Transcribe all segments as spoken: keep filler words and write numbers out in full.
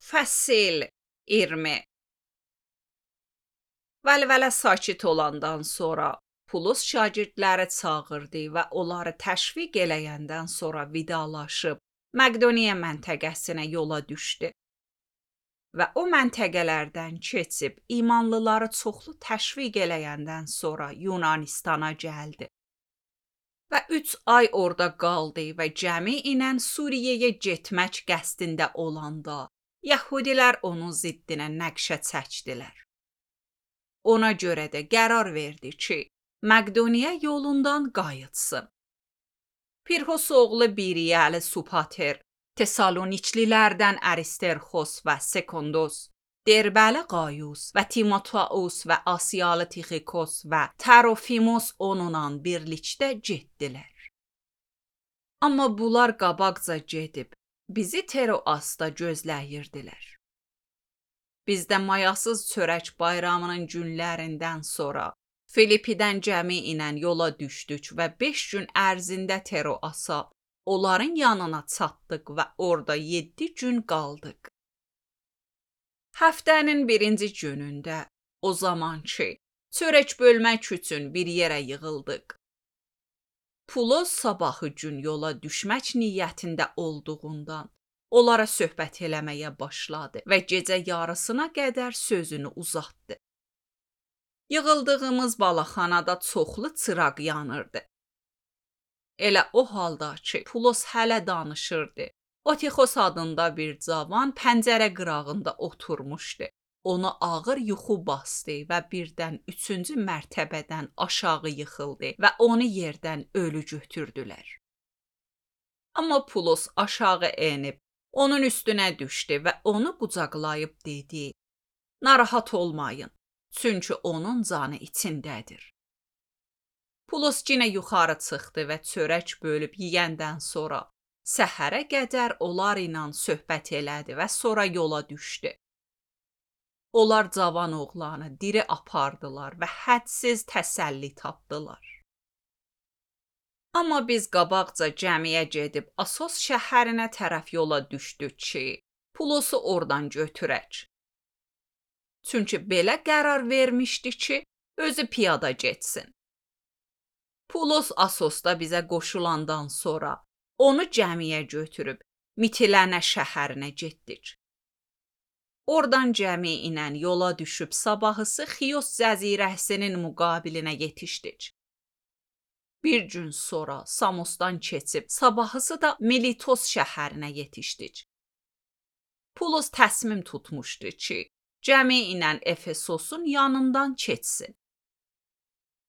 Fəsil iyirmi. Vəlvələ sakit olandan sonra Pulus şagirdləri çağırdı və onları təşviq eləyəndən sonra vidalaşıb Məqdoniya məntəqəsinə yola düşdü. Və o məntəqələrdən keçib imanlıları çoxlu təşviq eləyəndən sonra Yunanistana gəldi. Və üç ay orada qaldı və cəmi ilə Suriyəyə getmək qəsdində olanda Yəhudilər onun ziddinə nəqşə çəkdilər. Ona görə də qərar verdi ki, Məqdoniya yolundan qayıtsın. Pirhos oğlu Biriyəli Supater, Tesaloniçlilərdən Aristerxos və Sekondos, Derbəli Qayus və Timoteus və Asiyalı Tixikos və Tərofimos onunla birlikdə getdilər. Amma bunlar qabaqca gedib, bizi Teroasda gözləyirdilər. Biz də mayasız çörək bayramının günlərindən sonra Filipidən cəmi ilə yola düşdük və beş gün ərzində Teroasa, onların yanına çatdıq və orada yeddi gün qaldıq. Həftənin birinci günündə, o zaman ki, çörək bölmək üçün bir yerə yığıldıq. Pulos sabahı gün yola düşmək niyyətində olduğundan, onlara söhbət eləməyə başladı və gecə yarısına qədər sözünü uzatdı. Yığıldığımız balaxanada çoxlu çıraq yanırdı. Elə o halda ki, Pulos hələ danışırdı. Otixos adında bir cavan pəncərə qırağında oturmuşdu. Onu ağır yuxu bastı və birdən üçüncü mərtəbədən aşağı yıxıldı və onu yerdən ölü götürdülər. Amma Pulos aşağı enib, onun üstünə düşdü və onu qucaqlayıb dedi: "Narahat olmayın, çünki onun canı içindədir." Pulos yenə yuxarı çıxdı və çörək bölüb yeyəndən sonra səhərə qədər onlar ilə söhbət elədi və sonra yola düşdü. Onlar cavan oğlanı diri apardılar və hədsiz təsəlli tapdılar. Amma biz qabaqca cəmiyə gedib Asos şəhərinə tərəf yola düşdük ki, Pulosu oradan götürək. Çünki belə qərar vermişdi ki, özü piyada getsin. Pulos Asosda bizə qoşulandan sonra onu cəmiyə götürüb Mitilənə şəhərinə getdik. Oradan cəmi ilə yola düşüb sabahısı Xiyos cəzirəsinin müqabilinə yetişdik. Bir gün sonra Samosdan keçib sabahısı da Militos şəhərinə yetişdik. Pulos təsmim tutmuşdu ki, cəmi ilə Efesosun yanından keçsin.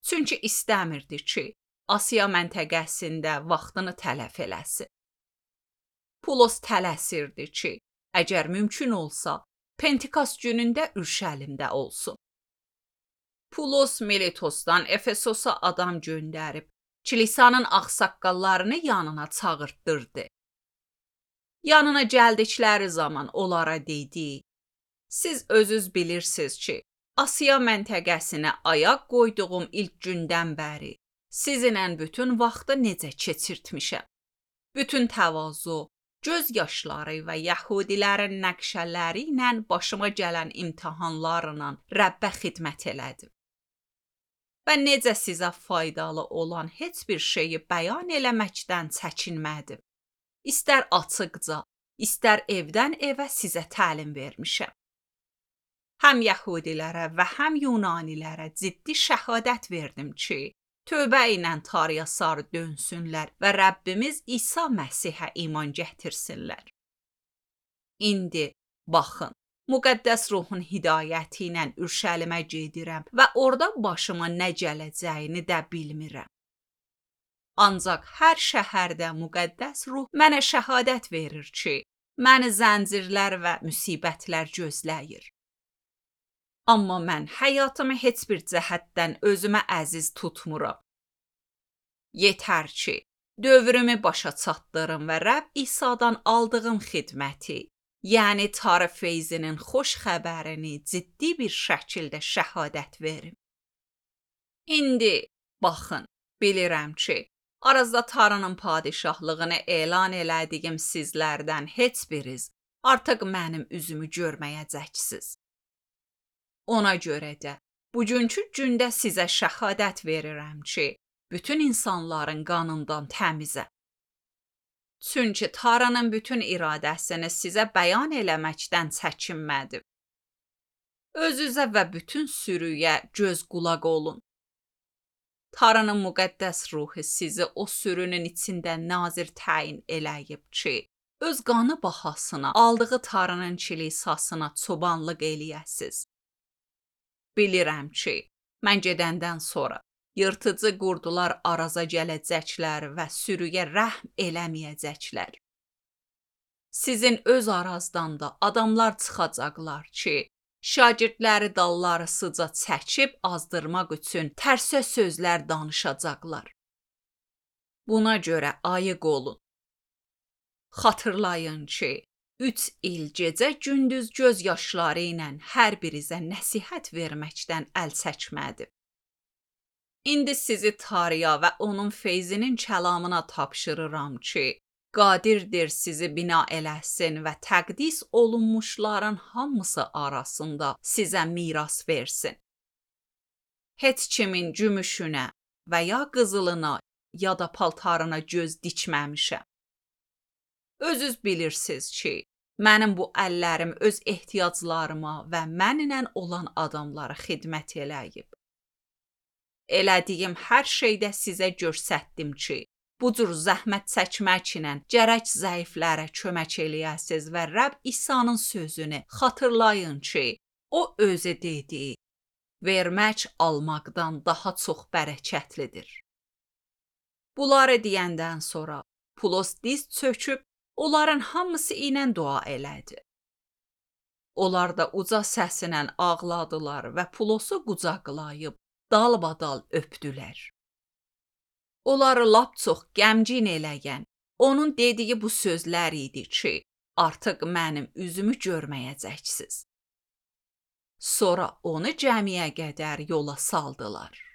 Çünki istəmirdi ki, Asiya məntəqəsində vaxtını tələf eləsin. Pulos tələsirdi ki, əgər mümkün olsa, Pentikos günündə Ürşəlimdə olsun. Pulos Militosdan Efesosa adam göndərib, kilisanın ağsaqqallarını yanına çağırtdırdı. Yanına gəldikləri zaman onlara dedi: "Siz özünüz bilirsiniz ki, Asiya məntəqəsinə ayaq qoyduğum ilk gündən bəri sizinlə bütün vaxtı necə keçirtmişəm. Bütün təvazu, göz yaşları və Yəhudilərin nəqşələri ilə başıma gələn imtahanlarla Rəbbə xidmət elədim. Və necə sizə faydalı olan heç bir şeyi bəyan eləməkdən çəkinmədim. İstər açıqca, istər evdən evə sizə təlim vermişəm. Həm Yəhudilərə və həm Yunanilərə ciddi şəhadət verdim ki, tövbə ilə Tanrıya sarı dönsünlər və Rəbbimiz İsa Məsihə iman gətirsinlər. İndi, baxın, müqəddəs ruhun hidayəti ilə Ürşəlimə gedirəm və orada başıma nə gələcəyini də bilmirəm. Ancaq hər şəhərdə müqəddəs ruh mənə şəhadət verir ki, məni zəncirlər və müsibətlər gözləyir. Amma mən həyatımı heç bir cəhətdən özümə əziz tutmuram. Yetər ki, dövrümü başa çatdırım və Rəbb İsa'dan aldığım xidməti, yəni Tanrı feyzinin xoş xəbərini ciddi bir şəkildə şəhadət verim. İndi, baxın, bilirəm ki, arazda Tanrının padişahlığını elan elədiyim sizlərdən heç biriz artıq mənim üzümü görməyəcəksiniz. Ona görə də bugünkü gündə sizə şəhadət verirəm ki, bütün insanların qanından təmizəm. Çünki Tanrının bütün iradəsini sizə bəyan eləməkdən çəkinmədim. Özünüzə və bütün sürüyə göz qulaq olun. Tanrının müqəddəs ruhu sizi o sürünün içində nazir təyin eləyib ki, öz qanı bahasına aldığı Tanrının kilisasına çobanlıq eləyəsiz. Bilirəm ki, mən gedəndən sonra yırtıcı qurdular araza gələcəklər və sürüyə rəhm eləməyəcəklər. Sizin öz arazdan da adamlar çıxacaqlar ki, şagirdləri dalları sıca çəkib azdırmaq üçün tərsə sözlər danışacaqlar. Buna görə ayıq olun. Xatırlayın ki, üç il gecə gündüz göz yaşları ilə hər birinizə nəsihət verməkdən əl çəkmədim. İndi sizi Tanrıya və onun feyzinin kəlamına tapşırıram ki, qadirdir sizi bina eləsin və təqdis olunmuşların hamısı arasında sizə miras versin. Heç kimin gümüşünə və ya qızılına ya da paltarına göz dikməmişəm. Özünüz bilirsiniz ki, mənim bu əllərim öz ehtiyaclarıma və mənimlə olan adamlara xidmət eləyib. Elədiyim hər şeydə sizə göstərdim ki, bu cür zəhmət çəkməklə gərək zəiflərə kömək eləyəsiniz və Rəbb İsa'nın sözünü xatırlayın ki, o özü dedi, vermək almaqdan daha çox bərəkətlidir. Bunları deyəndən sonra Pulos diz çöküb onların hamısı ilə dua elədi. Onlar da uca səsilə ağladılar və Pulosu qucaqlayıb dalbadal öpdülər. Onları lap çox qəmgin eləyən, onun dediyi bu sözlər idi ki, artıq mənim üzümü görməyəcəksiniz. Sonra onu cəmiyə qədər yola saldılar.